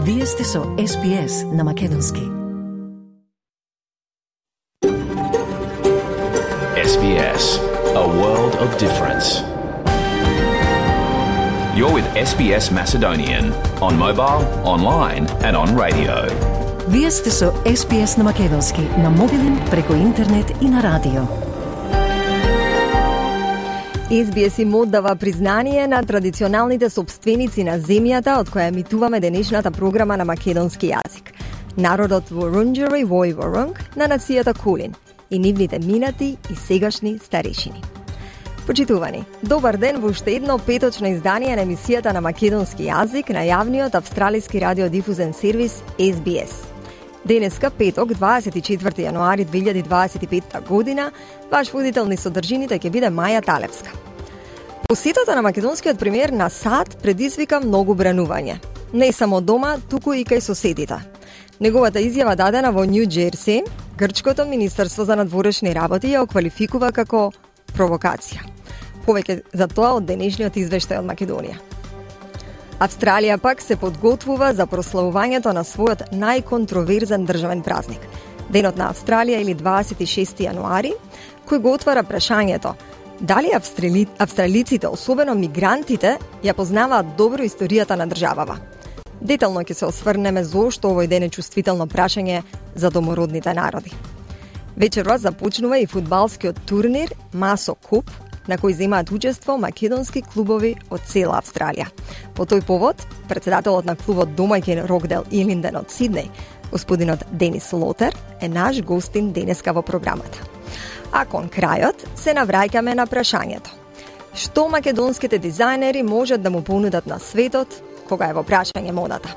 Вие сте со SPS на Македонски. SBS, a world of difference. You're with SBS Macedonian on mobile, online and on radio. Вие сте со SPS на Македонски на мобилен, преку интернет и на радио. SBS им оддава признание на традиционалните собственици на земјата од која емитуваме денешната програма на македонски јазик. Народот Вурунџери Вој Вурунг на нацијата Кулин и нивните минати и сегашни старешини. Почитувани, добар ден во уште едно петочно издание на емисијата на македонски јазик на јавниот австралиски радиодифузен сервис SBS. Денеска, петок, 24 јануари 2025 година, ваш водител низ содржините ќе биде Маја Талевска. Посетата на македонскиот премиер на САД предизвика многу бранување. Не само дома, туку и кај соседите. Неговата изјава дадена во Нью Џерси, Грчкото Министерство за надворешни работи ја оквалификува како провокација. Повеќе за тоа од денешниот извештај од Македонија. Австралија пак се подготвува за прославувањето на својот најконтроверзен државен празник, Денот на Австралија или 26 јануари, кој го отвара прашањето дали австралиците, особено мигрантите, ја познаваат добро историјата на државава. Детално ќе се осврнеме зошто овој ден е чувствително прашање за домородните народи. Вечерва започнува и фудбалскиот турнир Масо Куп, на кој земаат учество македонски клубови од цела Австралија. По тој повод, председателот на клубот домаќин Рокдел Илинден од Сиднеј, господинот Денис Лотер, е наш гостин денеска во програмата. А кон крајот се навраќаме на прашањето: што македонските дизајнери можат да му понудат на светот кога е во прашање модата?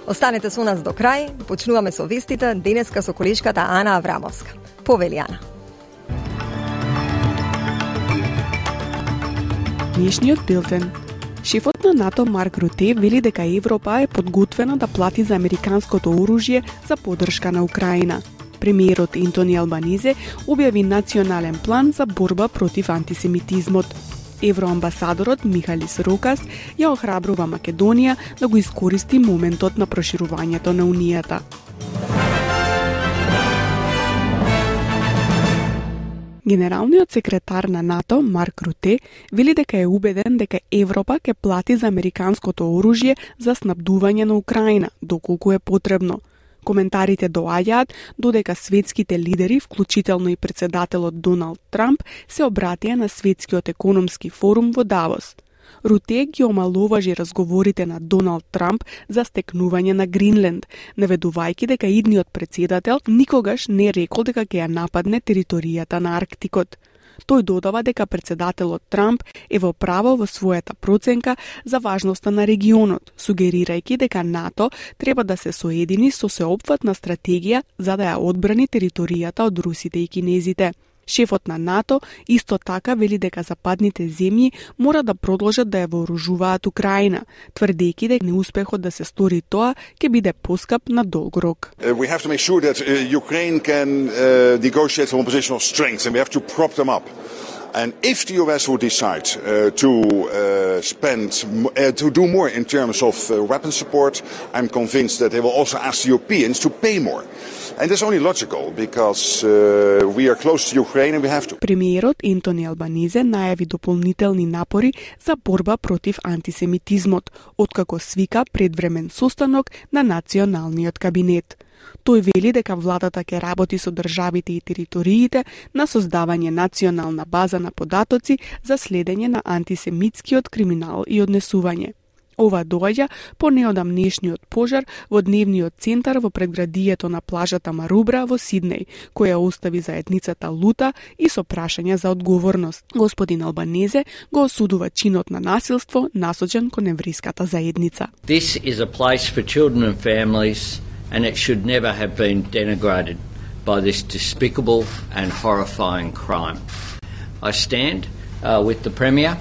Останете со нас до крај, почнуваме со вестите денеска со колешката Ана Аврамовска. Повели, Ана. Днешниот билтен. Шефот на НАТО Марк Руте вели дека Европа е подготвена да плати за американското оружје за поддршка на Украина. Премиерот Ентони Албанизе објави национален план за борба против антисемитизмот. Евроамбасадорот Михалис Рокас ја охрабрува Македонија да го искористи моментот на проширувањето на Унијата. Генералниот секретар на НАТО, Марк Руте, вели дека е убеден дека Европа ќе плати за американското оружје за снабдување на Украина, доколку е потребно. Коментарите доаѓаат додека светските лидери, вклучително и председателот Доналд Трамп, се обратија на Светскиот економски форум во Давос. Руте ги омаловажи разговорите на Доналд Трамп за стекнување на Гринленд, наведувајќи дека идниот председател никогаш не рекол дека ќе ја нападне територијата на Арктикот. Тој додава дека председателот Трамп е во право во својата проценка за важноста на регионот, сугерирајќи дека НАТО треба да се соедини со сеопфатна стратегија за да ја одбрани територијата од русите и кинезите. Шефот на НАТО исто така вели дека западните земји мора да продолжат да ја вооружуваат Украина, тврдејќи дека неуспехот да се стори тоа ќе биде поскап на долг рок. We have to make sure that Ukraine can negotiate from a position of strength and we have to prop them up. And if the US would decide to do more in terms of weapon support, I'm convinced that they will also ask the Europeans to pay more. And that's only logical because we are close to Ukraine and we have to. Премиерот Ентони Албанизе најави дополнителни напори за борба против антисемитизмот, откако свика предвремен состанок на националниот кабинет. Тој вели дека владата ќе работи со државите и териториите на создавање национална база на податоци за следење на антисемитскиот криминал и однесување. Ова доаѓа по неодамнешниот пожар во дневниот центар во предградието на плажата Марубра во Сиднеј, која остави заедницата лута и со прашања за одговорност. Господин Албанезе го осудува чинот на насилство насочен кон еврејската заедница. This is a place for children and families and it should never have been denigrated by this despicable and horrifying crime. I stand with the Premier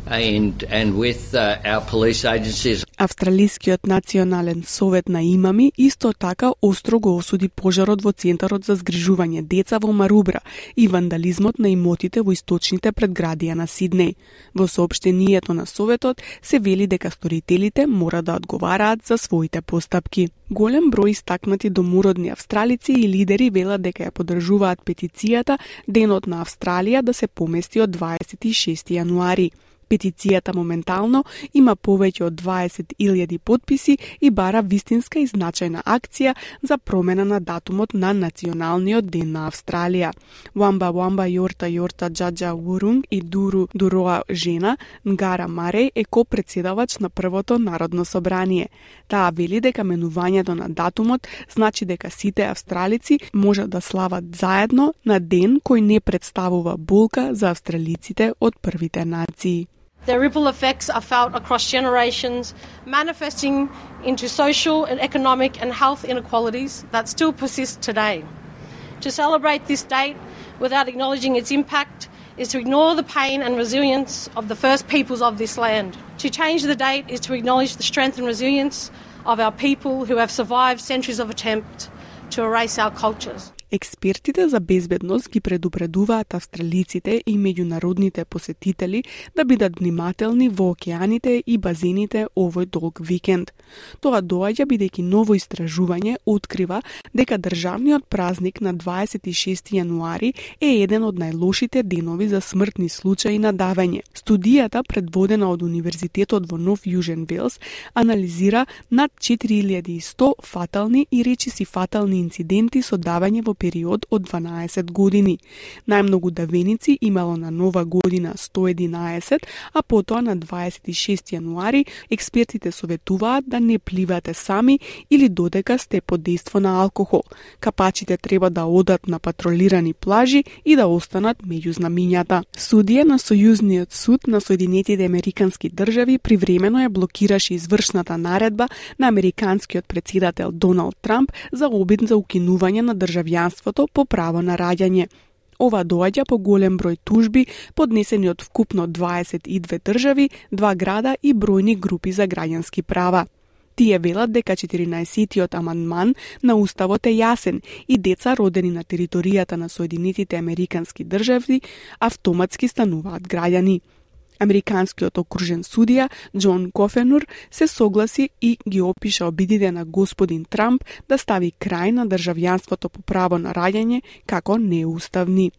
and with our police agencies. Австралискиот национален совет на имами исто така остро го осуди пожарот во центарот за згрижување деца во Марубра и вандализмот на имотите во источните предградија на Сиднеј. Во соопштението на советот се вели дека сторителите мора да одговараат за своите постапки. Голем број истакнати домородни австралици и лидери велат дека ја поддржуваат петицијата Денот на Австралија да се помести од 26 јануари. Петицијата моментално има повеќе од 20.000 потписи и бара вистинска и значајна акција за промена на датумот на Националниот ден на Австралија. Wamba Wamba Yorta Yorta Джаджа Вурунг и Дуру Дуроа жена Нгара Мареј е ко-председавач на првото народно собрание. Таа вели дека менувањето на датумот значи дека сите австралици можат да слават заедно на ден кој не представува болка за австралиците од првите нации. Their ripple effects are felt across generations, manifesting into social and economic and health inequalities that still persist today. To celebrate this date without acknowledging its impact is to ignore the pain and resilience of the first peoples of this land. To change the date is to acknowledge the strength and resilience of our people who have survived centuries of attempt to erase our cultures. Експертите за безбедност ги предупредуваат австралиците и меѓународните посетители да бидат внимателни во океаните и базените овој долг викенд. Тоа доаѓа бидејќи ново истражување открива дека државниот празник на 26 јануари е еден од најлошите денови за смртни случаи на давење. Студијата, предводена од Универзитетот во Нов Јужен Велс, анализира над 4100 фатални и речиси фатални инциденти со давење во период од 12 години. Најмногу давеници имало на Нова година 111, а потоа на 26 јануари експертите советуваат да не пливате сами или додека сте под дејство на алкохол. Капачите треба да одат на патролирани плажи и да останат меѓу знамињата. Судија на Сојузниот суд на Соединетите Американски држави привремено ја блокираше извршната наредба на американскиот претседател Доналд Трамп за обид за укинување на државјанството по право на раѓање. Ова доаѓа по голем број тужби поднесени од вкупно 22 држави, 2 града и бројни групи за граѓански права. Тие велат дека 14-тиот амандман на Уставот е јасен и деца родени на територијата на Соединетите Американски држави автоматски стануваат граѓани. Американскиот окружен судија Џон Кофенур се согласи и ги опиша обидите на господин Трамп да стави крај на државјанството по право на раѓање како неуставни.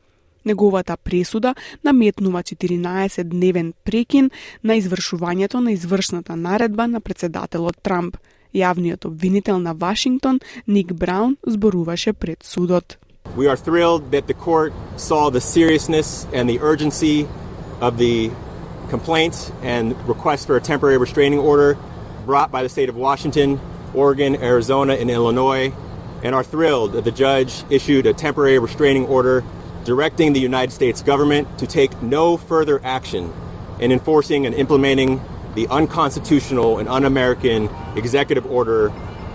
Неговата пресуда наметнува 14-дневен прекин на извршувањето на извршната наредба на претседателот Трамп. Јавниот обвинител на Вашингтон, Ник Браун, зборуваше пред судот. We are thrilled that the court saw the seriousness and the urgency of the complaints and request for a temporary restraining order brought by the state of Washington, Oregon, Arizona, and Illinois, and are thrilled that the judge issued a temporary restraining order directing the United States government to take no further action in enforcing and implementing the unconstitutional and un-American executive order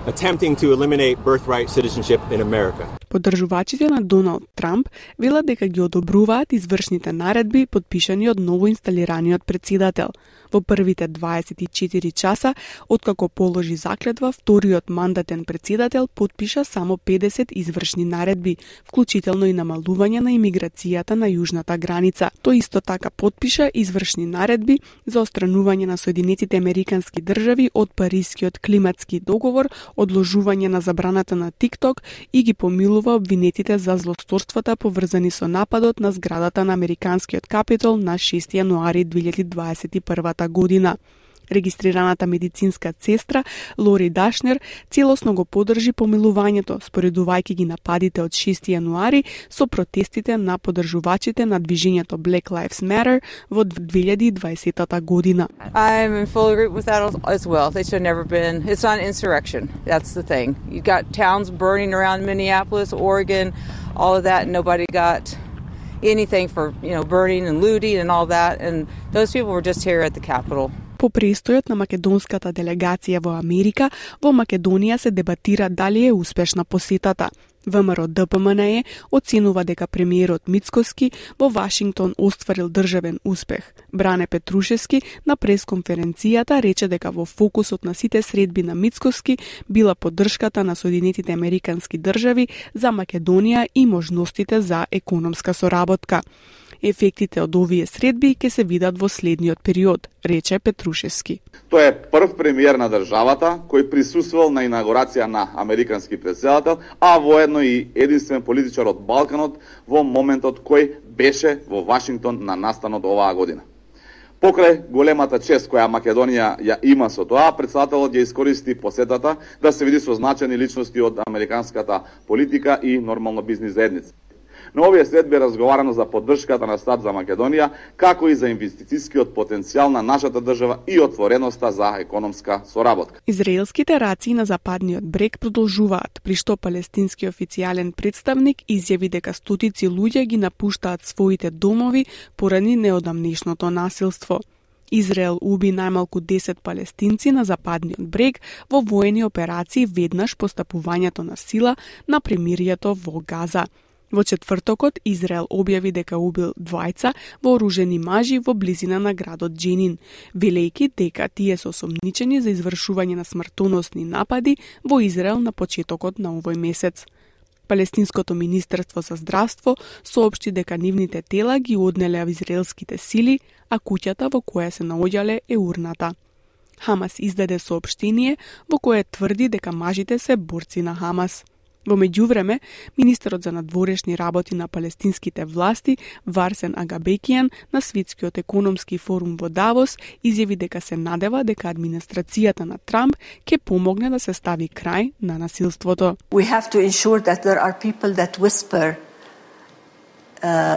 attempting to eliminate birthright citizenship in America. Поддржувачите на Доналд Трамп велат дека ги одобруваат извршните наредби подпишани од новоинсталираниот претседател. Во првите 24 часа, откако положи заклетва, вториот мандатен претседател подпиша само 50 извршни наредби, вклучително и намалување на имиграцијата на јужната граница. Тој исто така подпиша извршни наредби за отстранување на Соединетите Американски држави од Парискиот климатски договор, одложување на забраната на TikTok и ги помилува обвинетите за злосторствата поврзани со нападот на зградата на Американскиот Капитол на 6 јануари 2021 година. Регистрираната медицинска сестра Лори Дашнер целосно го поддржи помилувањето, споредувајќи ги нападите од 6 јануари со протестите на поддржувачите на движењето Black Lives Matter во 2020 година. I'm in full agreement with that as well. They should have never been. It's not an insurrection. That's the thing. You got towns burning around Minneapolis, Oregon, all of that, and nobody got anything for, burning and looting and all that, and those people were just here at the Capitol. По престојот на македонската делегација во Америка, во Македонија се дебатира дали е успешна посетата. ВМРО-ДПМНЕ оценува дека премиерот Мицкоски во Вашингтон остварил државен успех. Бране Петрушевски на пресконференцијата рече дека во фокусот на сите средби на Мицкоски била поддршката на Соединетите Американски држави за Македонија и можностите за економска соработка. Ефектите од овие средби ќе се видат во следниот период, рече Петрушевски. Тој е прв премиер на државата кој присуствувал на инаугурација на американски претседател, а воедно и единствен политичар од Балканот во моментот кој беше во Вашингтон на настанот оваа година. Покрај големата чест која Македонија ја има со тоа, претседателот ја искористи посетата да се види со значајни личности од американската политика и нормално бизнис заедница. На овие средби разговарано за поддршката на САД за Македонија, како и за инвестицијскиот потенцијал на нашата држава и отвореноста за економска соработка. Израелските раци на западниот брег продолжуваат, при што палестински официјален представник изјави дека стотици луѓе ги напуштаат своите домови поради неодамнешното насилство. Израел уби најмалку 10 палестинци на западниот брег во воени операции веднаш по стапувањето на сила на премирието во Газа. Во четвртокот Израел објави дека убил двајца вооружени мажи во близина на градот Дженин, велејќи дека тие се осомничени за извршување на смртоносни напади во Израел на почетокот на овој месец. Палестинското министерство за здравство соопшти дека нивните тела ги однеле израелските сили, а куќата во која се наоѓале е урната. Хамас издаде соопштение во кое тврди дека мажите се борци на Хамас. Во меѓувреме, министерот за надворешни работи на палестинските власти, Варсен Агабекијан, на Светскиот економски форум во Давос, изјави дека се надева дека администрацијата на Трамп ќе помогне да се стави крај на насилството. We have to ensure that there are people that whisper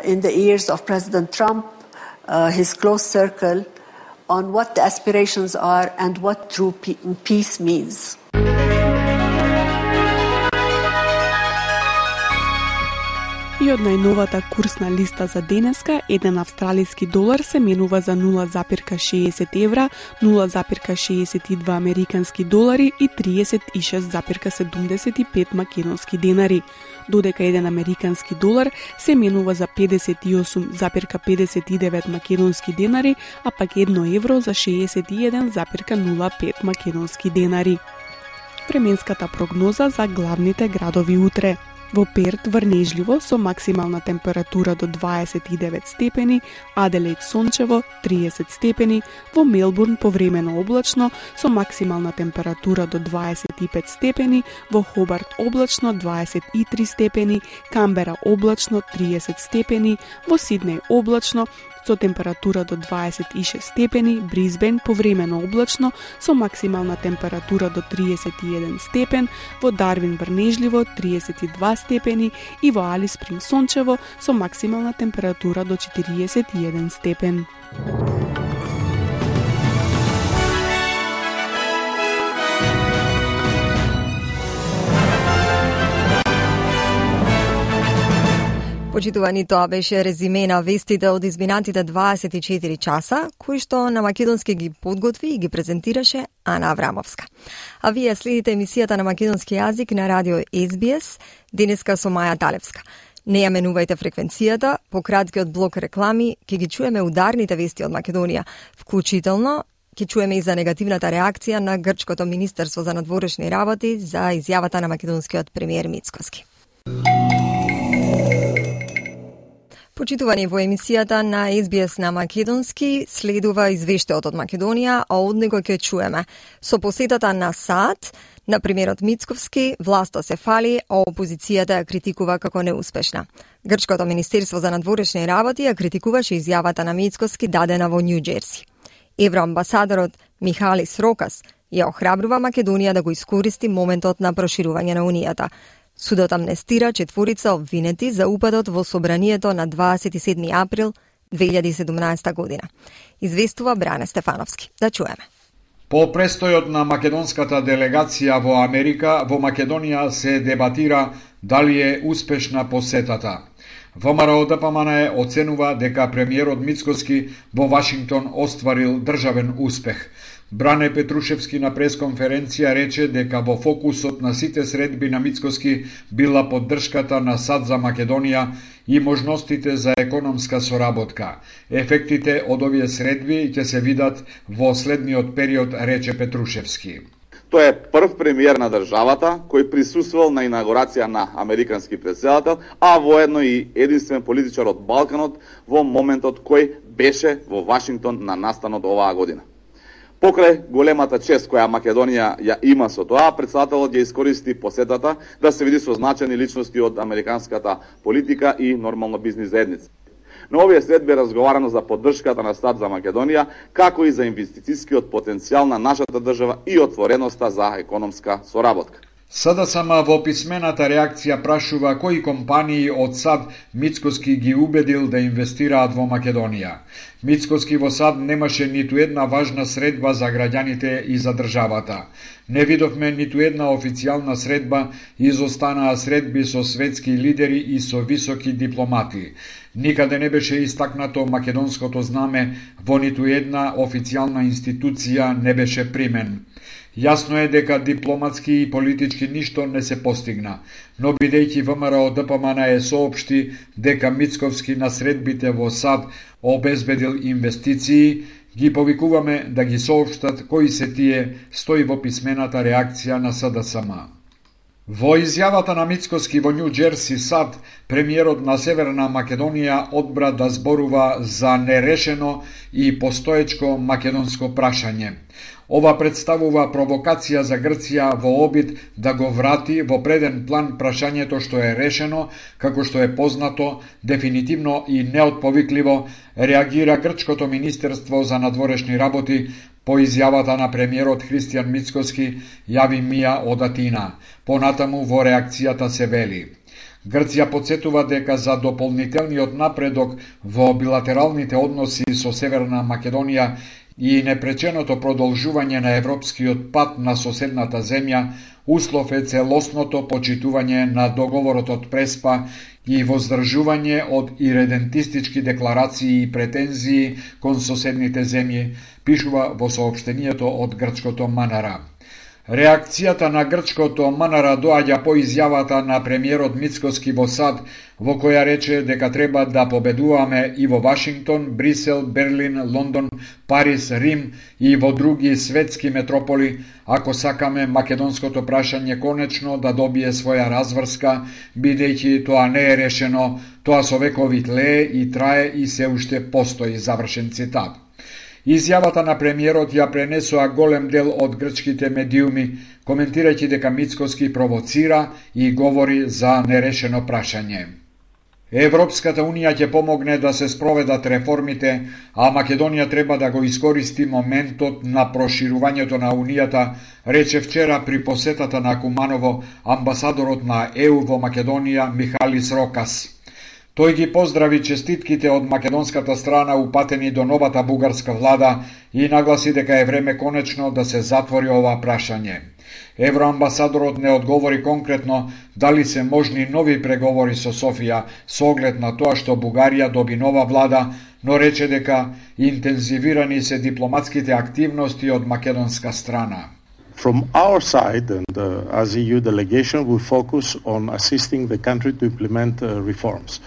in the ears of President Trump, his close circle, on what the aspirations are and what true peace means. И од најновата курсна листа за денеска, еден австралиски долар се менува за 0,60 евра, 0,62 американски долари и 36,75 македонски денари, додека еден американски долар се менува за 58,59 македонски денари, а пак 1 евро за 61,05 македонски денари. Временската прогноза за главните градови утре. Во Перт врнежливо со максимална температура до 29 степени, Аделаид сончево 30 степени, во Мелбурн повремено облачно со максимална температура до 25 степени, во Хобарт облачно 23 степени, Камбера облачно 30 степени, во Сиднеј облачно со температура до 26 степени, Брисбен повремено облачно со максимална температура до 31 степен, во Дарвин врнежливо 32 степени и во Алис Спринг сончево со максимална температура до 41 степен. Почитувани, тоа беше резиме на вестите од изминатите 24 часа, кои што на македонски ги подготви и ги презентираше Ана Аврамовска. А вие следите емисијата на македонски јазик на радио SBS, денеска со Маја Талевска. Не ја менувајте фреквенцијата, по краткиот блок реклами ќе ги чуеме ударните вести од Македонија, вклучително ќе чуеме и за негативната реакција на Грчкото министерство за надворешни работи за изјавата на македонскиот премиер Мицкоски. Почитувани, во емисијата на SBS на македонски следува извештајот од Македонија, а од него ќе чуеме со посетата на САД на премиерот Мицкоски, власта се фали, а опозицијата ја критикува како неуспешна. Грчкото министерство за надворешни работи ја критикуваше изјавата на Мицкоски дадена во Нью Џерси. Евроамбасадорот Михалис Рокас ја охрабрува Македонија да го искористи моментот на проширување на Унијата. Судот амнестира четворица обвинети за упадот во собранието на 27 април 2017 година. Известува Бране Стефановски. Да чуеме. По престојот на македонската делегација во Америка, во Македонија се дебатира дали е успешна посетата. ВМРО-ДПМНЕ оценува дека премиерот Мицкоски во Вашингтон остварил државен успех. Бране Петрушевски на пресконференција рече дека во фокусот на сите средби на Мицкоски била поддршката на САД за Македонија и можностите за економска соработка. Ефектите од овие средби ќе се видат во следниот период, рече Петрушевски. Тој е прв премиер на државата кој присуствувал на инаугурација на американски претседател, а воедно и единствен политичар од Балканот во моментот кој беше во Вашингтон на настанот оваа година. Покрај големата чест која Македонија ја има со тоа, претседателот ја искористи посетата да се види со значајни личности од американската политика и нормално бизнис заедница. На овие средби разговарано за поддршката на САД за Македонија, како и за инвестицијскиот потенцијал на нашата држава и отвореноста за економска соработка. СДСМ во писмената реакција прашува кои компании од САД Мицкоски ги убедил да инвестираат во Македонија. Мицкоски во САД немаше ниту една важна средба за граѓаните и за државата. Не видовме ниту една официјална средба, изостанаа средби со светски лидери и со високи дипломати. Никаде не беше истакнато македонското знаме, во ниту една официјална институција не беше примен. Јасно е дека дипломатски и политички ништо не се постигна, но бидејќи ВМРО ДПМН е соопшти дека Мицковски на средбите во САД обезбедил инвестиции, ги повикуваме да ги соопштат кои се тие, стои во писмената реакција на СДСМ. Во изјавата на Мицкоски во Нью Џерси, САД, премиерот на Северна Македонија одбра да зборува за нерешено и постоечко македонско прашање. Ова представува провокација за Грција во обид да го врати во преден план прашањето што е решено, како што е познато, дефинитивно и неотповикливо реагира Грчкото Министерство за надворешни работи по изјавата на премиерот Христијан Мицкоски, јави Мија од Атина. Понатаму во реакцијата се вели: Грција подсетува дека за дополнителниот напредок во билатералните односи со Северна Македонија и непреченото продолжување на европскиот пат на соседната земја, услов е целосното почитување на договорот од Преспа и воздржување од иредентистички декларации и претензии кон соседните земји, пишува во соопштението од грчкото МНР. Реакцијата на грчкото МНР доаѓа по изјавата на премиерот Мицкоски во САД, во која рече дека треба да победуваме и во Вашингтон, Брисел, Берлин, Лондон, Париз, Рим и во други светски метрополи, ако сакаме македонското прашање конечно да добие своја разврска, бидејќи тоа не е решено, тоа со векови тлее и трае и се уште постои, завршен цитат. Изјавата на премиерот ја пренесоа голем дел од грчките медиуми, коментирајќи дека Мицкоски провоцира и говори за нерешено прашање. Европската Унија ќе помогне да се спроведат реформите, а Македонија треба да го искористи моментот на проширувањето на Унијата, рече вчера при посетата на Куманово амбасадорот на ЕУ во Македонија Михалис Рокас. Тој ги поздрави честитките од македонската страна упатени до новата бугарска влада и нагласи дека е време конечно да се затвори ова прашање. Евроамбасадорот не одговори конкретно дали се можни нови преговори со Софија со оглед на тоа што Бугарија доби нова влада, но рече дека интензивирани се дипломатските активности од македонска страна. From our side, and as EU delegation, we focus on assisting the country to implement reforms.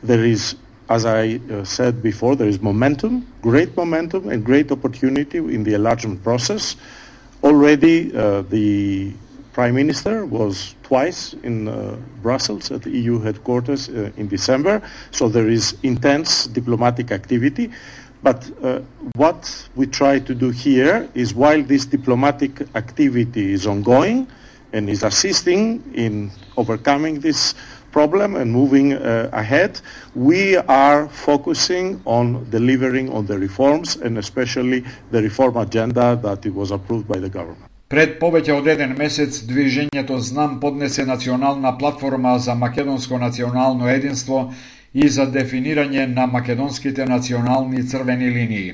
There is, as I said before, there is momentum, great momentum and great opportunity in the enlargement process. Already the Prime Minister was twice in Brussels at the EU headquarters in December, so there is intense diplomatic activity. But what we try to do here is, while this diplomatic activity is ongoing and is assisting in overcoming this problem and moving ahead, we are focusing on delivering on the reforms and especially the reform agenda that it was approved by the government. Пред повеќе од еден месец, движењето Знам поднесе национална платформа за македонско национално единство и за дефинирање на македонските национални црвени линии.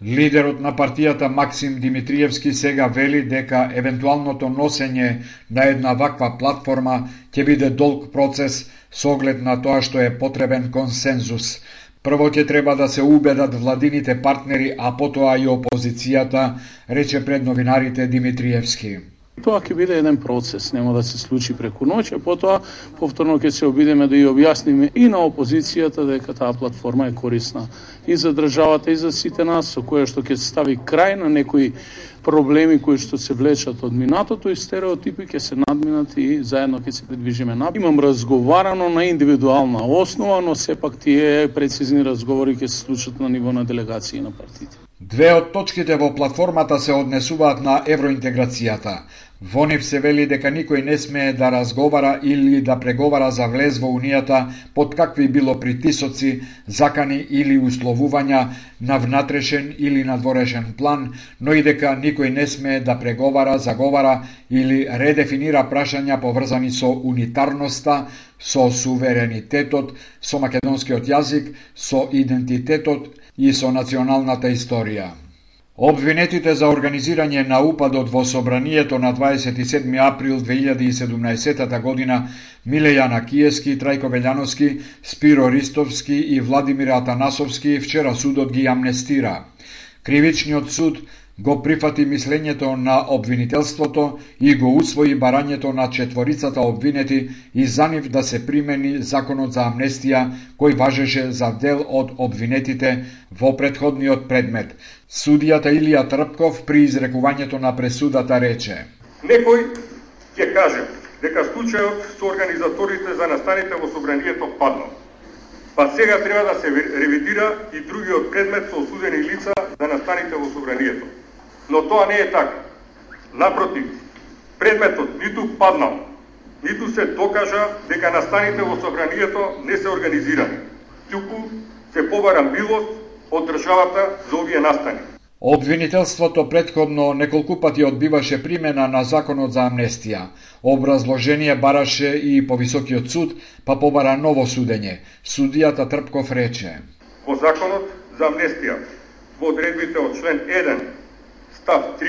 Лидерот на партијата Максим Димитриевски сега вели дека евентуалното носење на една ваква платформа ќе биде долг процес со оглед на тоа што е потребен консензус. Прво ќе треба да се убедат владините партнери, а потоа и опозицијата, рече пред новинарите Димитриевски. Тоа ќе биде еден процес, нема да се случи преку ноќ, а потоа повторно ќе се обидеме да ја објасниме и на опозицијата дека таа платформа е корисна и за државата и за сите нас, со која што ќе се стави крај на некои проблеми кои што се влечат од минатото и стереотипи ќе се надминат и заедно ќе се придвижиме напред. Имам разговарано на индивидуална основа, но сепак тие прецизни разговори ќе се случат на ниво на делегации на партиите. Две од точките во платформата се однесуваат на евроинтеграцијата. Во нив се вели дека никој не смее да разговара или да преговара за влез во Унијата под какви било притисоци, закани или условувања на внатрешен или надворешен план, но и дека никој не смее да преговара, заговара или редефинира прашања поврзани со унитарноста, со суверенитетот, со македонскиот јазик, со идентитетот и со националната историја. Обвинетите за организирање на упадот во собранието на 27 април 2017 година Милејана Киевски, Трајко Велјановски, Спиро Ристовски и Владимир Атанасовски вчера судот ги амнестира. Кривичниот суд го прифати мислењето на обвинителството и го усвои барањето на четворицата обвинети и за нив да се примени законот за амнестија кој важеше за дел од обвинетите во претходниот предмет. Судијата Илија Трпков при изрекувањето на пресудата рече: Некој ќе каже дека случајот со организаторите за настаните во собранието паднал. Па сега треба да се ревидира и другиот предмет со осудени лица за настаните во собранието. Но тоа не е така. Напротив, предметот ниту паднал, ниту се докажа дека настаните во собранието не се организирани. Туку се побара милост од државата за овие настани. Обвинителството претходно неколку пати одбиваше примена на законот за амнестија. Образложение бараше и повисокиот суд, па побара ново судење. Судијата Трпков рече: Во законот за амнестија, во одредбите од член 1, став 3,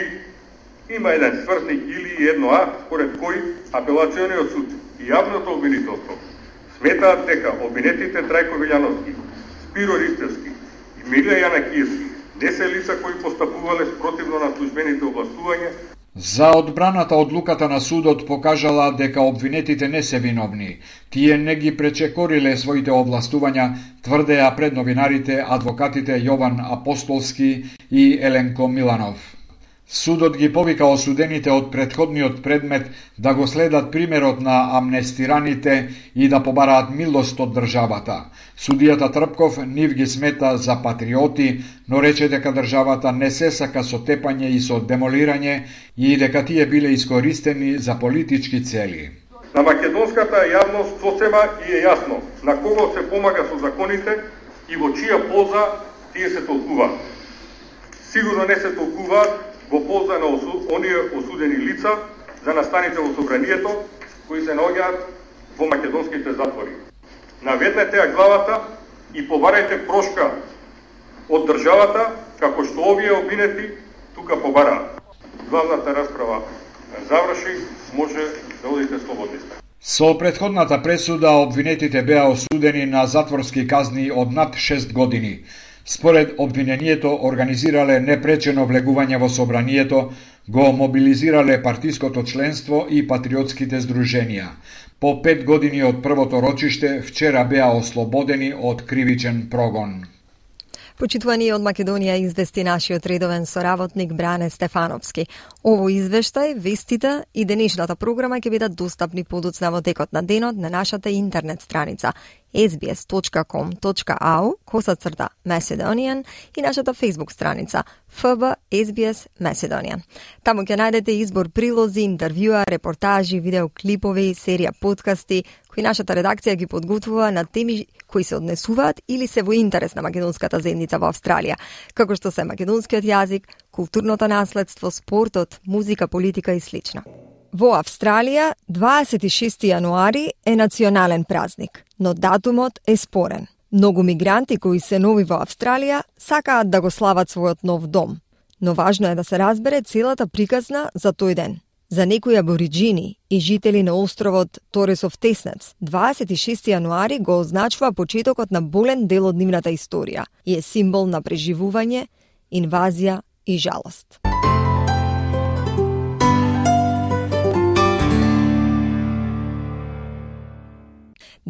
има еден свртник или едно А, според кој апелациониот суд и јавното обвинителство сметаат дека обвинетите Трајко Велјановски, Спиро Ристевски и Милејана Киевски не се лица кои постапувале спротивно на службените областувања. За одбраната одлуката на судот покажала дека обвинетите не се виновни. Тие не ги пречекориле своите областувања, тврдеа пред новинарите адвокатите Јован Апостолски и Еленко Миланов. Судот ги повика осудените од претходниот предмет да го следат примерот на амнестираните и да побараат милост од државата. Судијата Трпков нив ги смета за патриоти, но рече дека државата не се сака со тепање и со демолирање и дека тие биле искористени за политички цели. На македонската јавност сосема и е јасно на кого се помага со законите и во чија полза тие се толкуваат. Сигурно не се толкуваат во полза на оние осудени лица за настаните во собранието кои се наоѓаат во македонските затвори. Наведнете ја главата и побарајте прошка од државата како што овие обвинети тука побараат. Главната расправа заврши, може да одите слободни. Со претходната пресуда обвинетите беа осудени на затворски казни од над 6 години. Според обвинението, организирале непречено влегување во собранието, го мобилизирале партиското членство и патриотските здруженија. По 5 години од првото рочиште, вчера беа ослободени од кривичен прогон. Почитувани од Македонија извести нашиот редовен соработник Бране Стефановски. Ово извештај, вестите и денешната програма ќе бидат достапни подоцна во текот на денот на нашата интернет страница sbs.com.au/Macedonian и нашата Facebook страница FB SBS Macedonian. Таму ќе најдете избор прилози, интервјуа, репортажи, видеоклипови, серија подкасти кои нашата редакција ги подготвува на теми кои се однесуваат или се во интерес на македонската земјица во Австралија, како што се македонскиот јазик, културното наследство, спортот, музика, политика и слично. Во Австралија 26 јануари е национален празник, но датумот е спорен. Многу мигранти кои се нови во Австралија сакаат да го слават својот нов дом, но важно е да се разбере целата приказна за тој ден. За некои абориджини и жители на островот Торесов Теснец, 26 јануари го означува почетокот на болен дел од нивната историја и е символ на преживување, инвазија и жалост.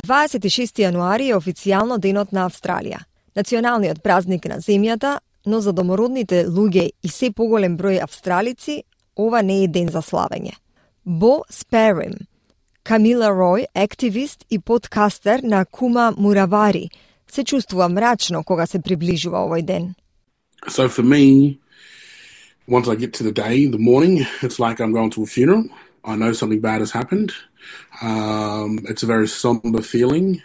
„26 јануари е официјално денот на Австралија, националниот празник на земјата, но за домородните луѓе и се поголем број австралици, ова не е ден за славење. Бо Спарим, Камила Рој, активист и подкастер на Кума Муравари, се чувствува мрачно кога се приближува овој ден. So for me, once I get to the day, the morning, it's like I'm going to a funeral. I know something bad has happened. It's a very somber feeling.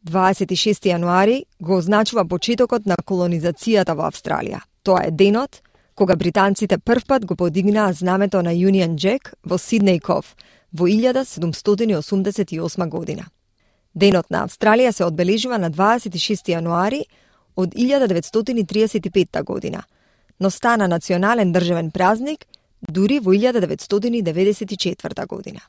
26 јануари го означува почетокот на колонизацијата во Австралија. Тоа е денот кога британците првпат го подигнаа знамето на Union Jack во Сиднеј Ков во 1788 година. Денот на Австралија се одбележува на 26 јануари од 1935 година, но стана национален државен празник дури во 1994 година.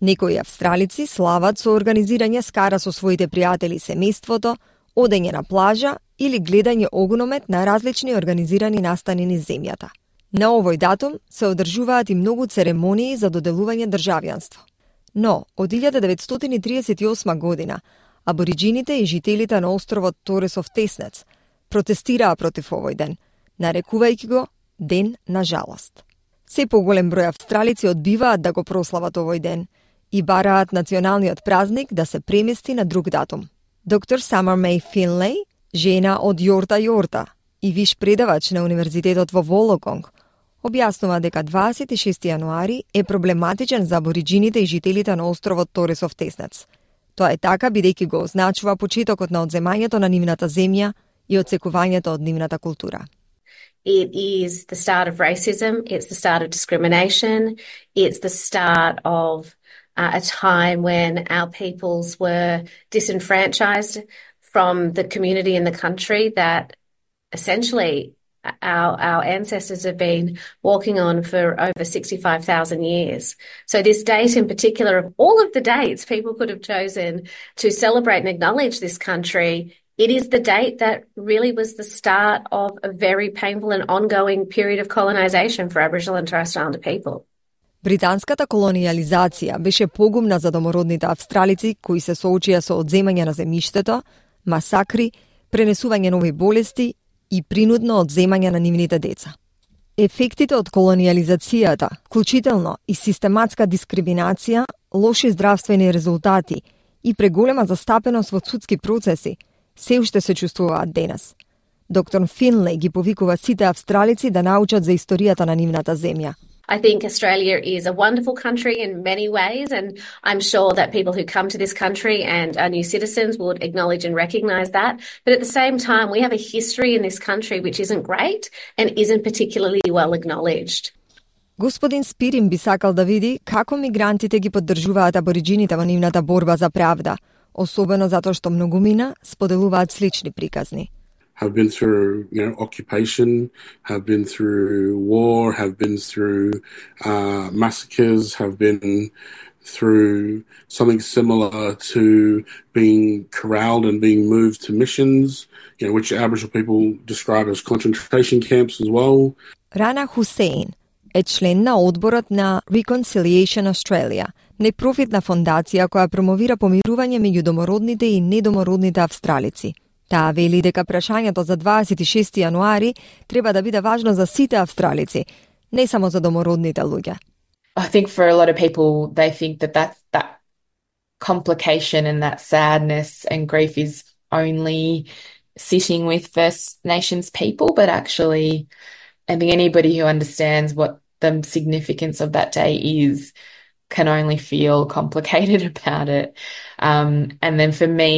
Некои австралици слават со организирање скара со своите пријатели и семејството, одење на плажа или гледање огномет на различни организирани настани низ земјата. На овој датум се одржуваат и многу церемонии за доделување државјанство. Но, од 1938 година, абориджините и жителите на островот Торесов Теснец протестираа против овој ден, нарекувајќи го Ден на жалост. Се поголем број австралици одбиваат да го прослават овој ден и бараат националниот празник да се премести на друг датум. Доктор Самар Мей Финлей, жена од Јорта и виш предавач на Универзитетот во Волоконг, објаснува дека 26 јануари е проблематичен за абориджините и жителите на островот Торесов Теснец. Тоа е така бидејќи го означува почетокот на одземањето на нивната земја и одсекувањето од нивната култура. It is the start of racism, it's the start of discrimination, it's the start of a time when our peoples were disenfranchised from the community in the country that essentially our ancestors have been walking on for over 65,000 years. So this date in particular, of all of the dates people could have chosen to celebrate and acknowledge this country, it is the date that really was the start of a very painful and ongoing period of colonization for Aboriginal and Torres Strait Islander people. Британската колониализација беше погубна за домородните австралици кои се соочија со одземање на земјиштето, масакри, пренесување нови болести и принудно одземање на нивните деца. Ефектите од колониализацијата, вклучително и систематска дискриминација, лоши здравствени резултати и преголема застапеност во судски процеси, се уште се чувствуваат денес. Доктор Финлей ги повикува сите австралици да научат за историјата на нивната земја. I think Australia is a wonderful country in many ways, and I'm sure that people who come to this country and are new citizens would acknowledge and recognise that. But at the same time, we have a history in this country which isn't great and isn't particularly well acknowledged. Господин Спирим би сакал да види како мигрантите ги поддржуваат абориджините во нивната борба за правда, особено затоа што многумина споделуваат слични приказни. Have been through, occupation, have been through war, have been through massacres, have been through something similar to being corralled and being moved to missions, which Aboriginal people describe as concentration camps as well. Rana Hussein е член на одборот на Reconciliation Australia, непрофитна фондација која промовира помирување меѓу домородните и недомородните австралици. Таа вели дека прашањето за 26 јануари треба да биде важно за сите австралици, не само за домородните луѓе. I think for a lot of people they think that complication and that sadness and grief is only sitting with First Nations people, but actually I think anybody who understands what the significance of that day is can only feel complicated about it. And then for me,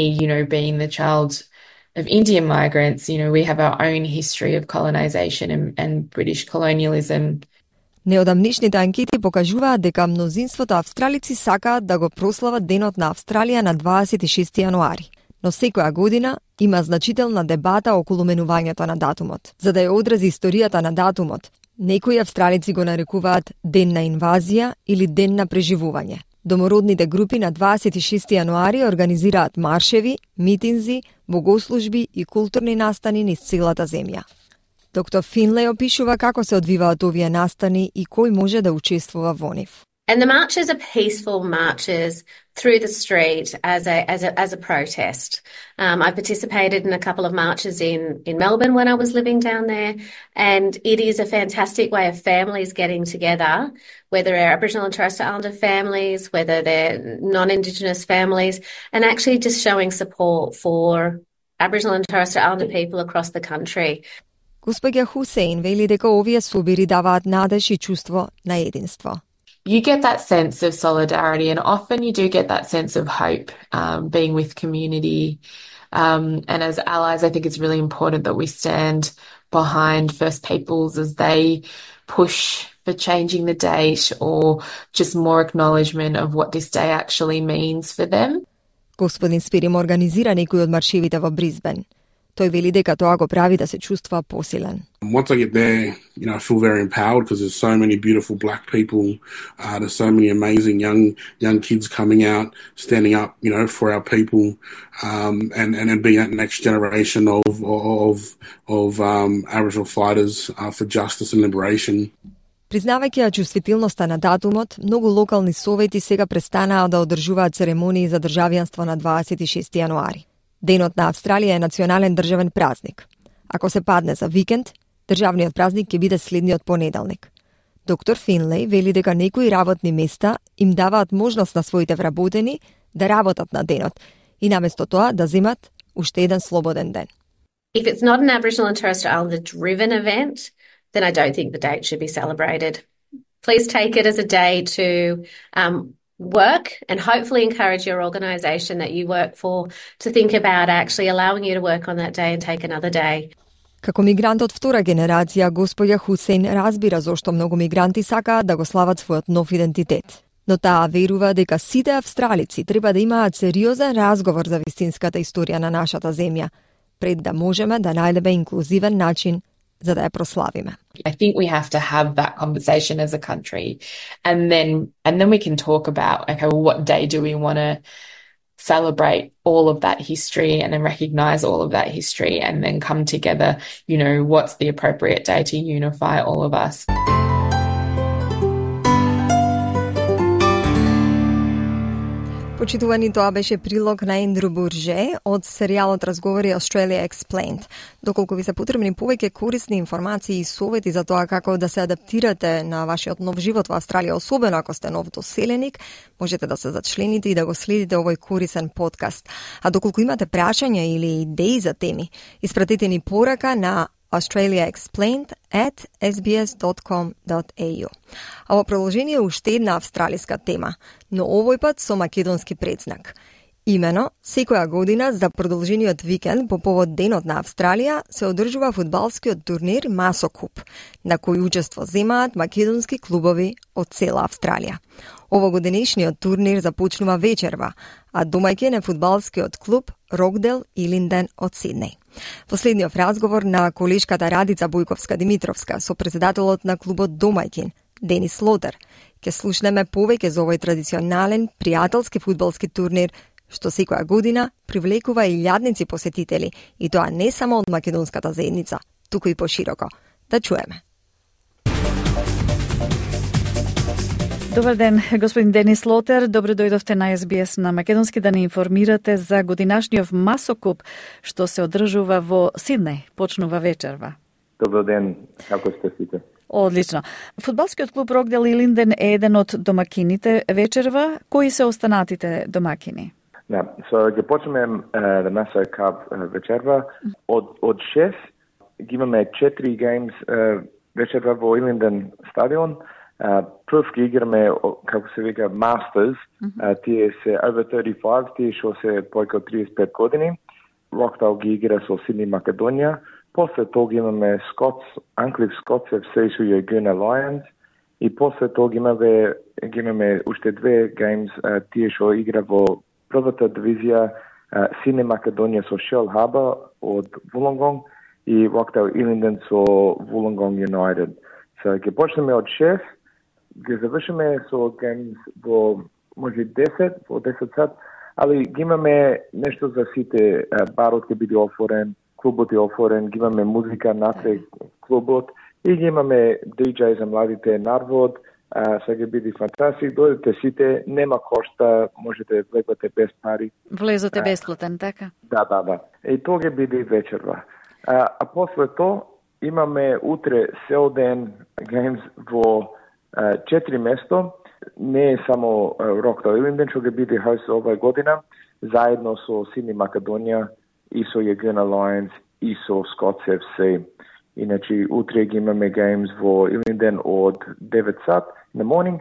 being the child of Indian migrants, we have our own history of colonization and British colonialism. Неодамнишните анкети покажуваат дека мнозинството австралици сакаат да го прослават Денот на Австралија на 26 јануари. Но секоја година има значителна дебата околу менувањето на датумот. За да ја одрази историјата на датумот, Некои австралици го нарекуваат ден на инвазија или ден на преживување. Домородните групи на 26 јануари организираат маршеви, митинзи, богослужби и културни настани низ целата земја. Доктор Финлей опишува како се одвиваат овие настани и кој може да учествува во нив. And the marches are peaceful marches through the street as a protest. I participated in a couple of marches in Melbourne when I was living down there, and it is a fantastic way of families getting together, whether they're Aboriginal and Torres Strait Islander families, whether they're non-Indigenous families, and actually just showing support for Aboriginal and Torres Strait Islander people across the country. Госпоѓа Хусейн вели дека овие собири даваат надеж и чувство на единство. You get that sense of solidarity, and often you do get that sense of hope, being with community. And as allies, I think it's really important that we stand behind First Peoples as they push for changing the date or just more acknowledgement of what this day actually means for them. Господин Спирим организира некои од маршевите во Брисбен. Тој вели дека тоа го прави да се чувствува посилен. Once I get there, I feel very empowered because there's so many beautiful black people. There's so many amazing young kids coming out, standing up, for our people, and being that next generation of Aboriginal fighters for justice and liberation. Признавајќи ја чувствителноста на датумот, многу локални совети сега престанаа да одржуваат церемонии за државјанство на 26 јануари. Денот на Австралија е национален државен празник. Ако се падне за викенд, државниот празник ќе биде следниот понеделник. Доктор Финлей вели дека некои работни места им даваат можност на своите вработени да работат на денот и наместо тоа да земат уште еден слободен ден. If it's not an Aboriginal and Torres Strait Islander driven event, then I don't think the date should be celebrated. Please take it as a day to work and hopefully encourage your organisation that you work for to think about actually allowing you to work on that day and take another day. Како мигрант од втора генерација, господја Хусейн разбира зошто многу мигранти сакаат да го слават својот нов идентитет. Но таа верува дека сите австралици треба да имаат сериозен разговор за вистинската историја на нашата земја, пред да можеме да најдеме инклузивен начин за да ја прославиме. I think we have to have that conversation as a country, and then we can talk about, okay, well, what day do we want to celebrate all of that history and then recognise all of that history, and then come together, what's the appropriate day to unify all of us. Почитувани, тоа беше прилог на Ендрю Бурже од серијалот Разговори Australia Explained. Доколку ви се потребни повеќе корисни информации и совети за тоа како да се адаптирате на вашиот нов живот во Австралија, особено ако сте нов доселеник, можете да се зачлените и да го следите овој корисен подкаст. А доколку имате прашања или идеи за теми, испратете ни порака на australiaexplained@sbs.com.au. А во продолжение е уште една австралиска тема, но овој пат со македонски предзнак. Имено, секоја година за продолжениот викенд по повод Денот на Австралија се одржува фудбалскиот турнир Масо Куп, на кој учество земаат македонски клубови од цела Австралија. Овогодинешниот турнир започнува вечерва, а домаќин е фудбалскиот клуб Рокдел Илинден од Сиднеј. Последниот разговор на колешката Радица Бојковска-Димитровска со председателот на клубот домаќин, Денис Лотер, ќе слушнеме повеќе за овој традиционален пријателски фудбалски турнир што секоја година привлекува илјадници посетители, и тоа не само од македонската заедница, туку и пошироко. Да чуеме. Добар ден, господин Денис Лотер. Добро дојдовте на SBS на македонски да не информирате за годинашниот Масокуп што се одржува во Сиднеј. Почнува вечерва. Добар ден, како сте сите? Одлично. Фудбалскиот клуб Рокдел Илинден е еден од домакините вечерва. Кои се останатите домакини? Да, ќе почнеме the Maso Cup вечерва. Од 6 ги имаме 4 games вечерва во Илинден стадион. Прв ги играме, како се вика, Masters, тие се over 35, тие што се појка од 35 години. Рокдел ги игра со Сиднеј Македонија. После тоа ги имаме Анклиф Скотс FC со Yagoona Lions. И после тоа ги имаме уште две геймс, тие што игра во првата дивизија, Сиднеј Македонија со Shell Harbour од Wollongong и Рокдел Илинден со Wollongong United. Ќе почнеме од 6, ќе завршиме со геймс во може 10, во 10 сат, али ги имаме нешто за сите. Барот ќе биде отворен, клубот е отворен, ги имаме музика натре клубот и ги имаме DJ за младите нарвод. Сега ќе биде фантастик, дојдете сите, нема кошта, можете влегвате без пари. Влезот е бесплатен, така? Да. И тоа ќе биде вечерва. А после тоа имаме утре цел ден геймс во 4 место. Не е само Rockdale Илинден, што ќе биде хост оваа година, заедно со Сидни Македонија и со Јагина Lions и со Scots FC. Иначе утре ги имаме геймс во Илинден од 9 сат на morning.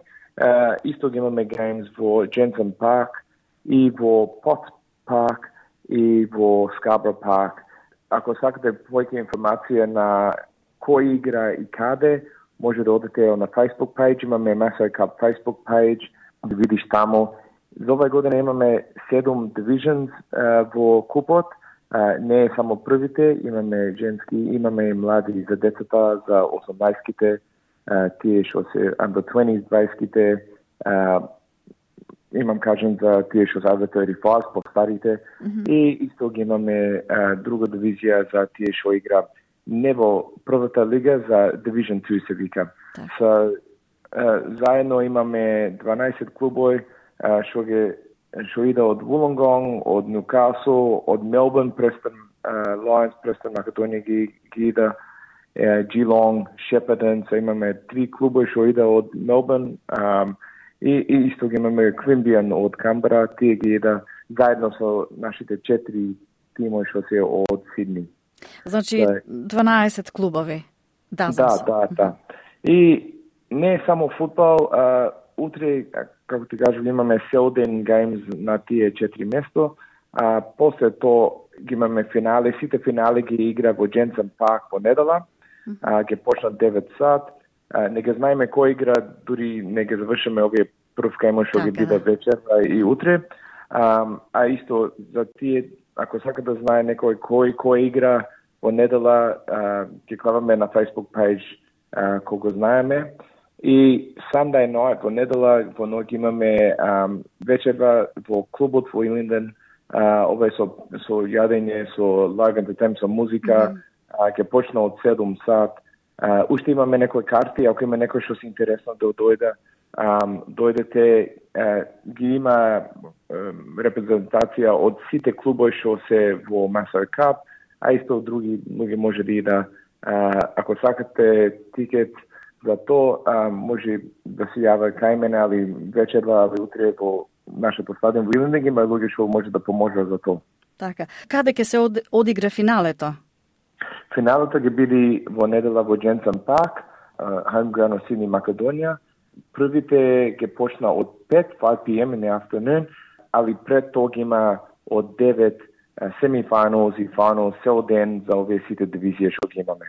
Исто ги имаме геймс во Jensen Park и во Potts Park и во Scarborough Park. Ако сакате повеќе информација на кој игра и каде, може да одите на Facebook page, имаме Massey Cup Facebook page, да видиш тамо. За оваа година имаме 7 divisions во купот. Не е само првите, имаме женски, имаме и млади за децата, за 18-ките, тие што се under 20s, 20-ките, имам кажем за тие што се under 35, по-старите, и исто ги имаме друга дивизија за тие што игра не во првата лига, за Division 2 се вика. Заедно имаме 12 клубови што иде од Wollongong, од Newcastle, од Melbourne, Preston Lions, Preston Македонија ги иде, Geelong, Shepparton, имаме 3 клубови што иде од Melbourne, и исто ги имаме Queanbeyan од Камбера, тие ги иде заедно со нашите 4 тимови што се од Сидни. Значи 12 клубови. Да. И не е само футбол, утре, како ти кажам, имаме цел ден геймс на тие 4 место, после тоа ги имаме финале, сите финале ги игра во Jensen Park во недела, ќе почнат 9 сат, не ги знаеме кој игра, дури не ги завршиме овие прв гейм што ги биде вечер и утре, а исто за тие, ако сака да знае некој кој игра во недела, ќе клаваме на Facebook page кој го знаеме. И Sunday night во недела во ноќ имаме вечерва во клубот во Илинден, ова е со јадење, со live entertainment, со музика, ќе почне од 7 сат. Уште имаме некои карти, ако има некој што се интересно да дојде, дојдете, ги има репрезентација од сите клубови што се во Massey Cup, а исто други луѓе може да ако сакате тикет за тоа, може да се јава кај мене, али вечерва, али утре во нашето стадион во Илинден има луѓе што може да поможат за тоа. Така. Каде ќе се одигра финалето? Финалето ќе биде во недела во Jensen Park, home ground од Сидни Македонија. Првите ќе почна од 5 p.m. in the afternoon, али пред тоа ги има од 9 semi-finals и finals цел ден за овие сите дивизија што ги имаме.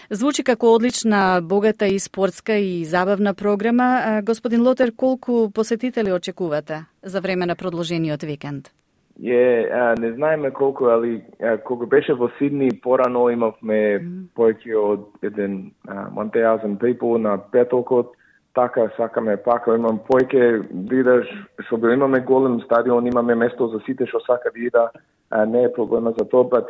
Звучи како одлична, богата и спортска и забавна програма. Господин Лотер, колку посетители очекувате за време на продолжениот викенд? Не знаеме колку, али кога беше во Сидни, порано имавме повеќе од 1000 people на петокот. Така сакаме пака, имам повеќе видаш, што имаме голем стадион, имаме место за сите што сака да ида, не е проблема за тоа,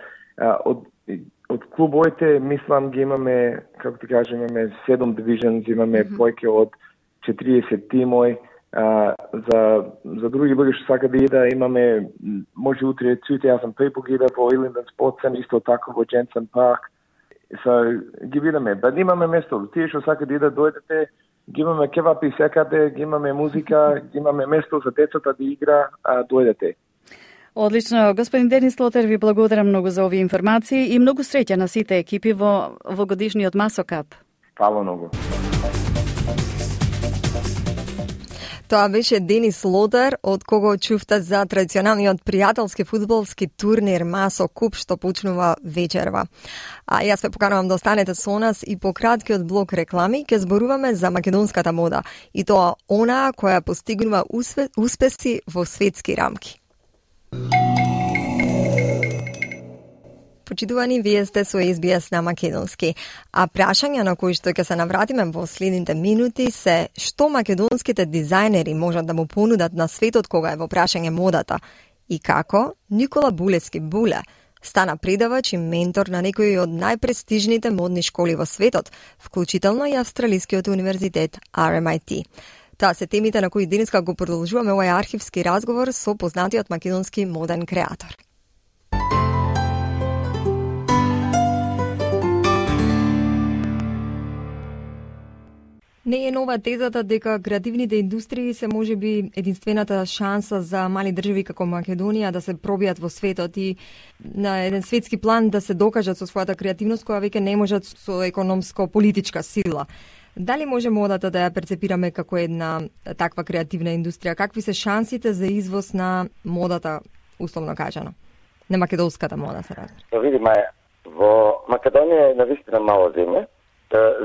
од клубовите, мислам, ги имаме, како ти кажем, имаме 7 divisions, имаме повеќе од 40 тимови. За други луѓе што сака да ида, имаме, може утре 2000 people ги ида во Илинден Sports Center, исто така во Jensen Park. Ги видаме, имаме место, тие што сака да ида, дојдете, ги имаме кевапи секаде, ги имаме музика, ги имаме место за децата да игра, дојдете. Одлично. Господин Денис Лотер, ви благодарам многу за овие информации и многу среќа на сите екипи во годишниот Massey Cup. Фала многу. Тоа беше Денис Лотер, од кого чувта за традиционалниот пријателски фудбалски турнир Massey Cup што почнува вечерва. А јас ве поканувам да останете со нас и по краткиот блок реклами ќе зборуваме за македонската мода и тоа онаа која постигнува успеси во светски рамки. Почитувани, вие сте со SBS на македонски. А прашања на кои што ќе се навратиме во следните минути се што македонските дизајнери можат да му понудат на светот кога е во прашање модата и како Никола Булевски Буле стана предавач и ментор на некои од најпрестижните модни школи во светот, вклучително и Австралискиот универзитет RMIT. Тоа се темите на кои денеска го продолжуваме овој архивски разговор со познатиот македонски моден креатор. Не е нова тезата дека креативните индустрии се можеби единствената шанса за мали држави како Македонија да се пробијат во светот и на еден светски план да се докажат со својата креативност која веќе не можат со економско-политичка сила. Дали може модата да ја перцепираме како една таква креативна индустрија? Какви се шансите за извоз на модата, условно кажано? На македонската мода се разбира. Да видиме, во Македонија е навистина мала земја,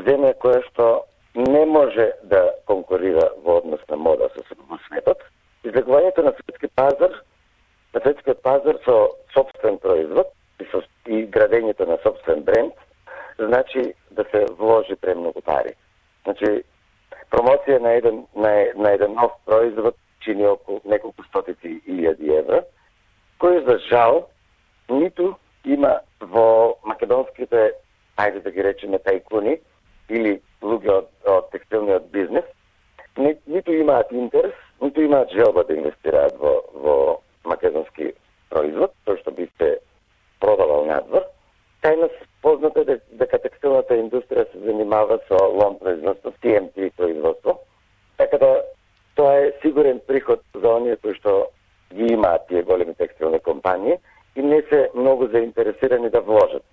земја која што не може да конкурира во однос на мода со светот. Излегувањето на светскиот пазар со собствен производ и градењето на собствен бренд, значи да се вложи премногу пари. Значи, промоција на еден нов производ чини околу неколку стотици илјади евра, кој за жал ниту има во македонските, ајде да ги речеме, тајкуни или луѓе од текстилниот бизнес, ниту имаат интерес, ниту имаат желба да инвестираат во македонски производ, тој што би се продавал надвор. Тајна познато е дека текстилната индустрија се занимава со лом производство, TMT производство, така да тоа е сигурен приход за оние кои што ги имаат тие големи текстилни компании и не се многу заинтересирани да вложат.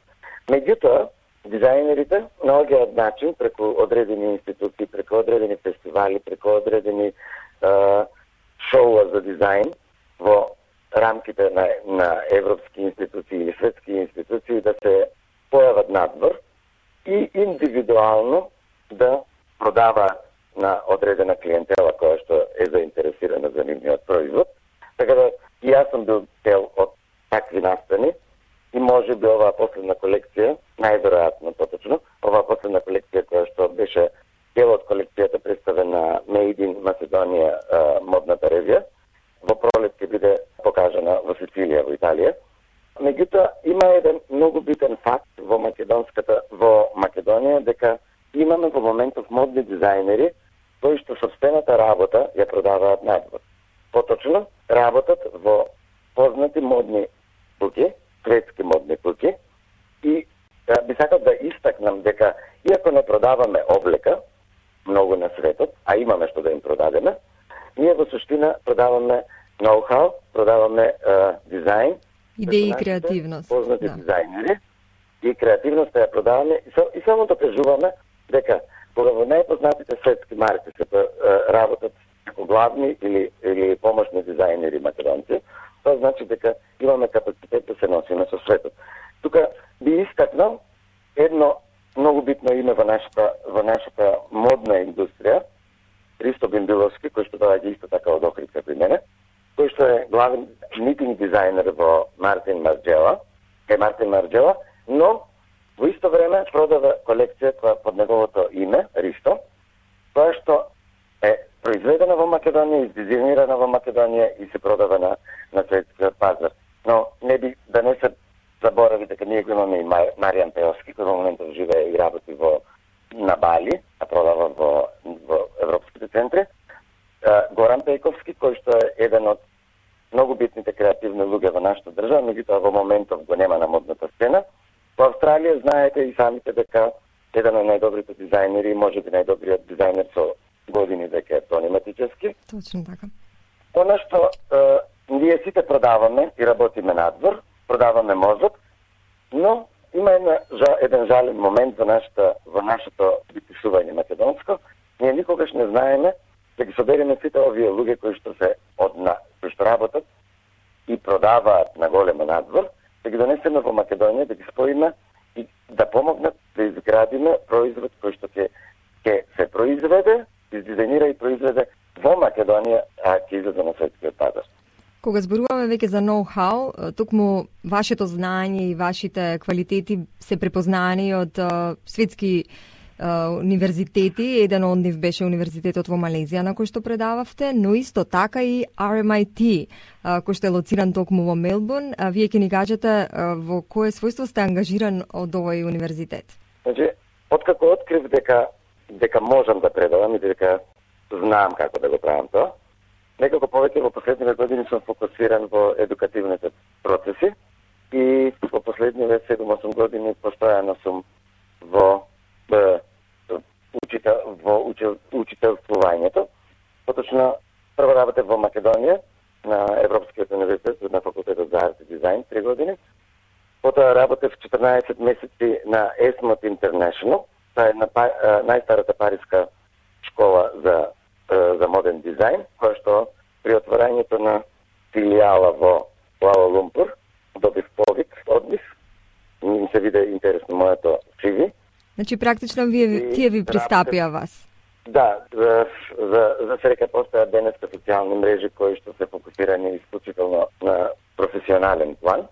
Меѓутоа, дизајнерите наоѓаат начин преку одредени институции, преку одредени фестивали, преку одредени шоуа за дизајн во рамките на европски институции или светски институции да се појават надвор и индивидуално да продава на одредена клиентела која што е заинтересирана за нивниот производ. Така да и јас сум бил дел од такви настани и може би оваа последна колекција, најверојатно поточно, оваа последна колекција која што беше дел од колекцијата представена Made in Macedonia модната ревија, во пролет ќе биде покажана во Сицилија, во Италија. Меѓутоа, има еден многу битен факт во Македонија дека имаме во моментов модни дизајнери кои што сопствената работа ја продаваат надвор. Поточно, работат во познати модни куќи, светски модни куќи и би сакал да истакнам дека иако не продаваме облека многу на светот, а имаме што да им продадеме, ние во суштина продаваме ноу-хау, продаваме дизајн, идеи и креативност. Познати дизајнери и креативноста ја продаваме и само докажуваме дека кога во најпознатите светски марки се работат како главни или помошни дизајнери македонци, тоа значи дека имаме капацитет да се носиме со светот. Тука би истакнал едно многу битно име во нашата модна индустрија, Ристо Бимбиловски, кој што доаѓа исто така од Охрид како и мене, кој што е главен нитинг дизајнер во Мартин Марџела, но во исто време продава колекција која под неговото име, Ристо, која што е произведена во Македонија, издизајнирана во Македонија и се продава на светскиот пазар. Но не би да не се заборави дека ние го имаме и Маријан Пеовски, кој во моментов живее и работи на Бали, а продава во европските центри. Горан Пејковски, кој што е еден од многу битните креативни луѓе во нашата држава, меѓутоа во моментов го нема на модната сцена. Во Австралија знаете и самите дека еден од најдобрите дизајнери, може би најдобриот дизајнер со години дека е Тони Матичевски. Точно така. Она што ние сите продаваме и работиме надвор, продаваме мозок, но има еден жален момент во нашето пишување македонско. Ние никогаш не знаеме да ги собереме сите овие луѓе кои што работат и продаваат на големо надвор, да ги донесеме во Македонија, да ги споиме и да помогнат да изградиме производ кој што ќе се произведе, издизајнира и произведе во Македонија, а ќе излезе на светскиот пазар. Кога зборуваме веќе за ноу-хау, токму вашето знаење и вашите квалитети се препознани од светски универзитети. Еден од нив беше универзитетот во Малезија на кој што предававте, но исто така и RMIT, кој што е лоциран токму во Мелбурн. Вие ќе ни кажете во кое својство сте ангажиран од овој универзитет? Значи, откако открив дека можам да предавам и дека знам како да го правам тоа, некако повеќе во последниве години сум фокусиран во едукативните процеси и во последниве 7-8 години постојано сум во учителствувањето. Поточно прво работев во Македонија на Европскиот универзитет на факултетот за арт и дизајн 3 години. Потоа работев 14 месеци на ESMOD International, тоа е најстарата париска школа за моден дизајн, која што при отворањето на филијала во Куала Лумпур добив повик од нив. Ми се виде интересно моето CV. Значи практично тие ви пристапија вас. Да, за среќа постојат денеска социјални мрежи кои што се фокусирани исклучително на професионален план.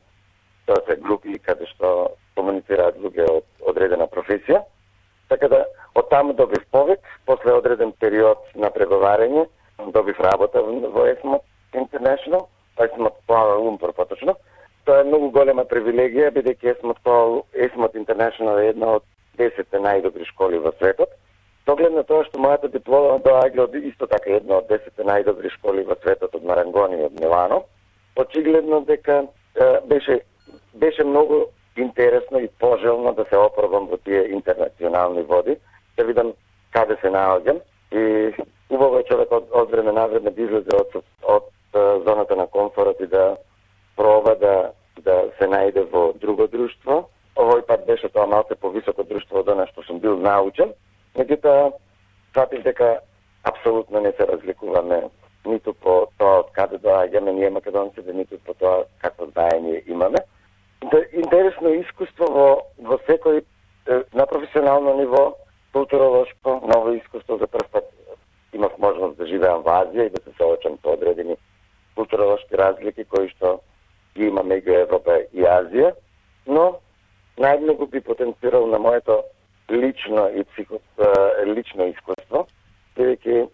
Тоа се групи каде што комуницираат луѓе од одредена професија. Така да, од таму добив повик, после одреден период на преговарање, добив работа во ESMOD International, ESMOD Kuala Lumpur поточно. Тоа е многу голема привилегија, бидејќи ESMOD International е една од 10 најдобри школи во светот. Доглед на тоа што мојата диплома доаѓа од исто така една од 10 најдобри школи во светот од Марангони и од Милано, очигледно дека беше многу интересно и пожелно да се опробам во тие интернационални води, да видам каде се наоѓам и убаво е човек од време на време да излезе од зоната на комфорот и да проба да се најде во друго друштво. Овој пат беше тоа малку повисоко друштво од она што сум бил научен. Меѓутоа, сватив дека апсолутно не се разликуваме ниту по тоа од каде доаѓаме ние македонците, ниту по тоа какво знаење имаме. Интересно искуство во секој на професионално ниво, културолошко, ново искуство. За прв пат имав можност да живеам во Азија и да се соочам со одредени културолошки разлики кои што ги има меѓу Европа и Азија, но најмногу би потенцирал на моето лично искуство, бидејќи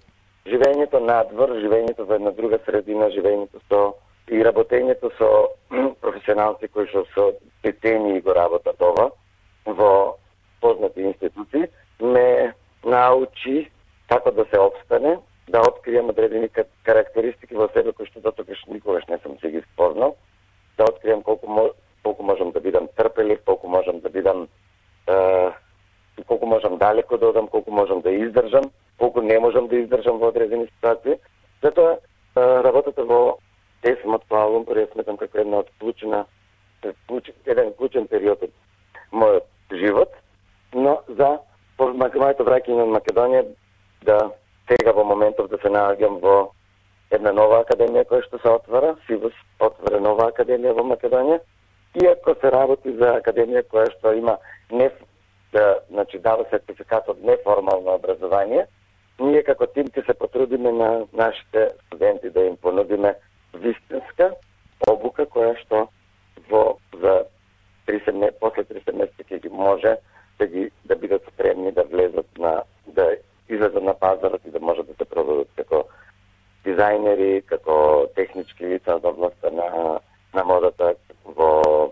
живењето надвор, живењето во една друга средина, живењето и работењето со професионалци кои што со децении го работат ова во познати институции, ме научи како да се обстане, да откријам одредени карактеристики во себе кои што дотогаш никогаш не сум се ги спознал, да откријам колку можам да бидам трпелив, колку можам да бидам колку можам далеко да одам, колку можам да издржам, колку не можам да издржам во одредени ситуации. Затоа работата во ESMOD Kuala Lumpur ја сметам како една од еден клучен период од мојот живот, но за моето враќање на Македонија да сега во моментов да се наоѓам во една нова академија која што се отвара, СИВУС отвара нова академија во Македонија, иако се работи за академија која што има дава сертификат од неформално образование, ние како тим ќе се потрудиме на нашите студенти да им понудиме вистинска обука која што за после 3 семестри ќе ги може да бидат спремни да влезат да излезат на пазарот и да може да се продадат како дизајнери, како технички лица од областта на модата, во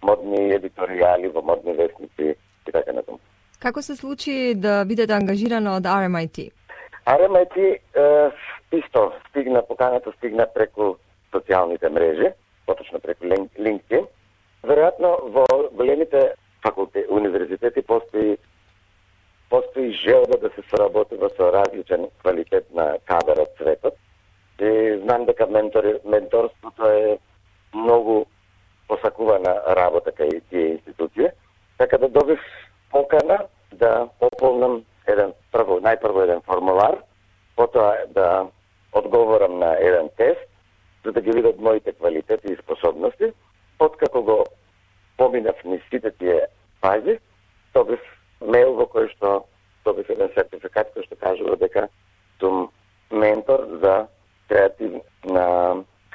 модни едиторијали, во модни вестници и така натаму. Како се случи да бидете ангажиран од RMIT? RMIT поканата стигна преку социјалните мрежи, поточно преку LinkedIn. Веројатно во големите универзитети постои желба да се соработува со различен квалитет на кадар од светот. И знам дека менторството е многу посакувана работа кај тие институции. Така да добив покана да пополнам најпрво еден формулар, потоа да одговорам на еден тест, за да ги видат моите квалитети и способности. Откако го поминав низ сите тие фази, добив мейл во кој што добив еден сертификат кој што кажува дека сум ментор за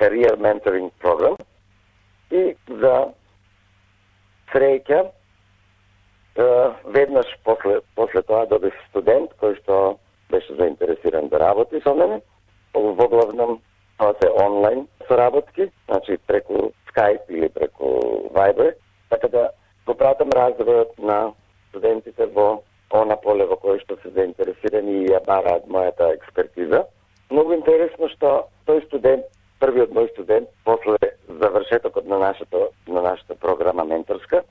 career mentoring program и за среќа веднаш после тоа добив студент кој што беше заинтересиран да работи со мене. Во главном тоа се онлайн соработки, значи преку Skype или преку Viber, така да го пратам развојот на студентите во она поле во кое што се заинтересирани и ја бараат мојата експертиза. Многу интересно што тој студент, првиот мој студент, после завршетокот на нашата програма менторска,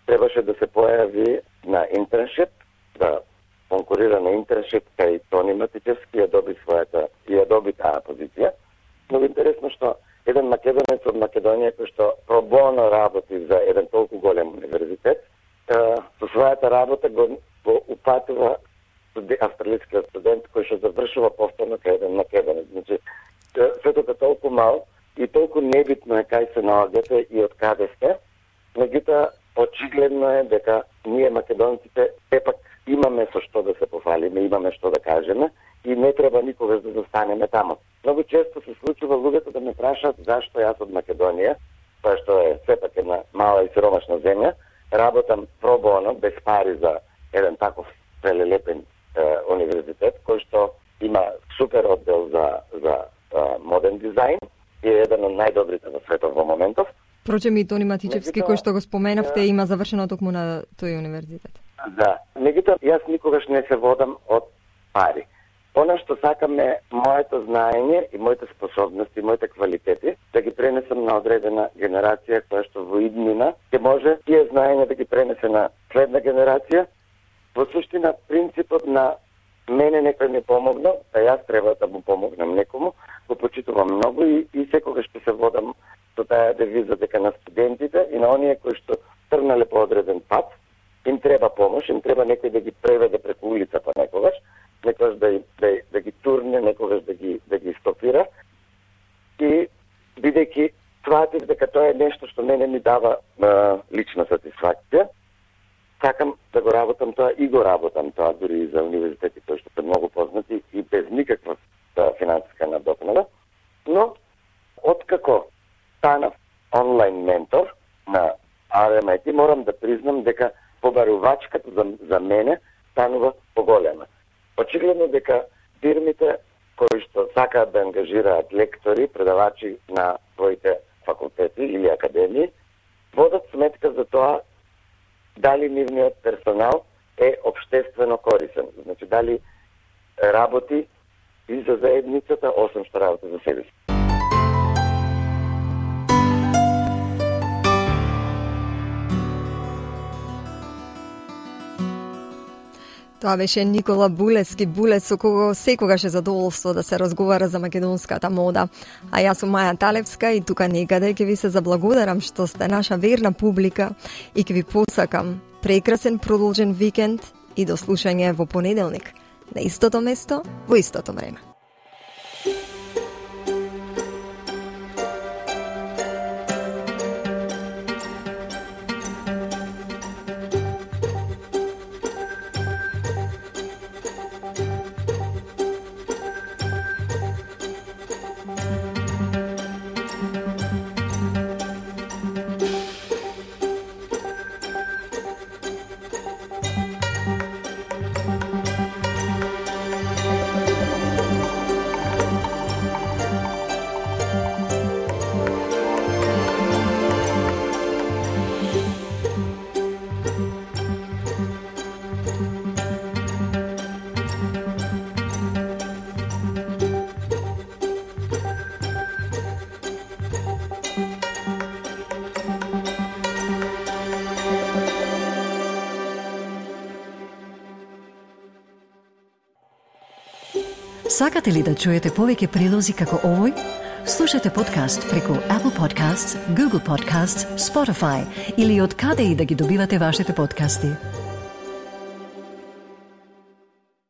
требаше да се појави на интерншип, да конкурира на интерншип кај Тони Матичевски, ја доби таа позиција. Многу интересно што еден македонец од Македонија кој што пробоно работи за еден толку голем универзитет, со својата работа го упатува австралискиот студент кој што завршува повторно кај еден македонец. Значи, светот е толку мал и толку небитно е кај се наоѓате и од каде сте, меѓутоа очигледно е дека ние македонците сепак имаме со што да се пофалиме, имаме што да кажеме и не треба никогаш да застанеме таму. Многу често се случува луѓето да ме прашаат зашто јас од Македонија, тоа што е сепак една мала и сиромашна земја, работам пробоно, без пари за еден таков велелепен универзитет, кој што има супер оддел за модерн дизајн и е еден од најдобрите во светот во моментов. Впрочем и Тони Матичевски, кој што го споменавте, има завршено токму на тој универзитет. Да, меѓутоа јас никогаш не се водам од пари. Она што сакам е моето знаење и моите способности, моите квалитети да ги пренесам на одредена генерација која што во иднина ќе може тие знаења да ги пренесе на следна генерација. Во суштина принципот на мене некој ми помогнал, а јас треба да му помогнам некому, го почитувам многу и секогаш ќе се водам со таа девиза дека на студентите и на оние кои што тргнале по одреден пат, им треба помош, им треба некој да ги преведе преку улицата некогаш да ги турне, некогаш да ги стопира. И бидејќи сватив дека тоа е нешто што мене ми дава лична сатисфакција, сакам да го работам тоа и го работам тоа дури и за универзитети кои што се многу познати и без никаква финансиска надокнада. Но откако станав онлайн ментор на RMIT, морам да признам дека побарувачката за мене станува поголема. Очигледно дека фирмите кои што сакаат да ангажираат лектори, предавачи на своите факултети или академии, водат сметка за тоа дали нивниот персонал е општествено корисен. Значи, дали работи и за заедницата, освен што работи за себе си. Тоа беше Никола Булески, со кого секогаш е задоволство да се разговара за македонската мода. А јас сум Маја Талевска и тука некаде ќе ви се заблагодарам што сте наша верна публика и ќе ви посакам прекрасен продолжен викенд и до слушање во понеделник на истото место, во истото време. Сакате ли да чуете повеќе прилози како овој? Слушате подкаст преку Apple Podcasts, Google Podcasts, Spotify или од каде и да ги добивате вашите подкасти.